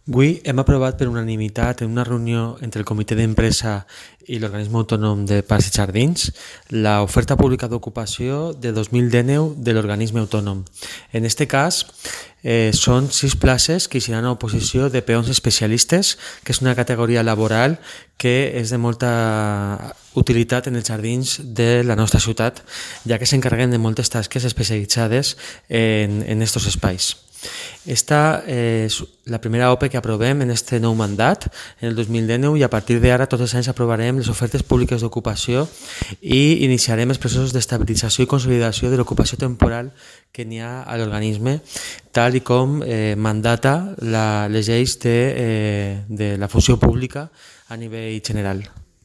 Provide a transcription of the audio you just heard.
Avui hem aprovat per unanimitat en una reunió entre el comitè d'empresa i l'organisme autònom de Parcs i Jardins l'oferta pública d'ocupació de 2019 de l'organisme autònom. En aquest cas, són 6 places que hi seran a oposició de peons especialistes, que és una categoria laboral que és de molta utilitat en els jardins de la nostra ciutat, ja que s'encarreguen de moltes tasques especialitzades en aquests espais. Esta és la primera OPE que aprovem en aquest nou mandat, en el 2019, i a partir d'ara tots els anys aprovarem les ofertes públiques d'ocupació i iniciarem els processos d'estabilització i consolidació de l'ocupació temporal que n'hi ha a l'organisme, tal i com mandata les lleis de la funció pública a nivell general.